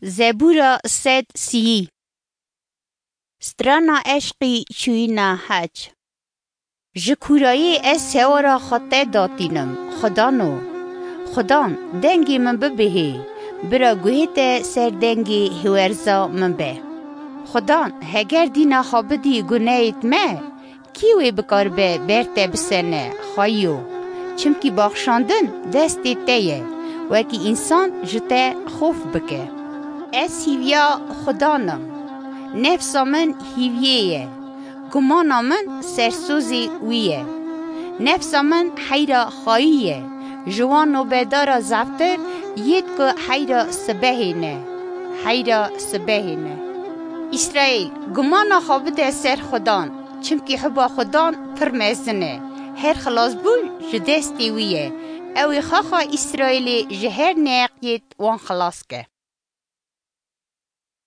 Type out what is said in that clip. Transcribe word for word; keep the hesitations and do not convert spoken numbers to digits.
Zebûra sed sîyî. Strana eşqî çûyîna hec. Ji kûrayê ez hewara xwe te datînim, Xwedano. Xudan, dengê min bibihê, bira guhê te ser dengê hiwerza min be. Xudan, heger dîna xwe bidî guneyêt me, kî wê bikaribe ber te bisene, xweyiyo? Çimkî baxşandin destê te ye, wekî însan ji te xof bike. Ez hîviya Xudan im. Nefsa min hîviyê ye. Gumana min sersozê wî ye. Nefsa min heyra xayî ye. Ji wan nobedara zeftir yêt ku heyra sibehê ne. Heyra sibehê ne. Îsraîl, gumana xwe bide ser Xudan, çimkî hiba Xudan pir mezin e. Her xilasbûn ji destê wî ye. Ew ê xaxa Îsraîlê ji her neheqiyêt wan xilas ke.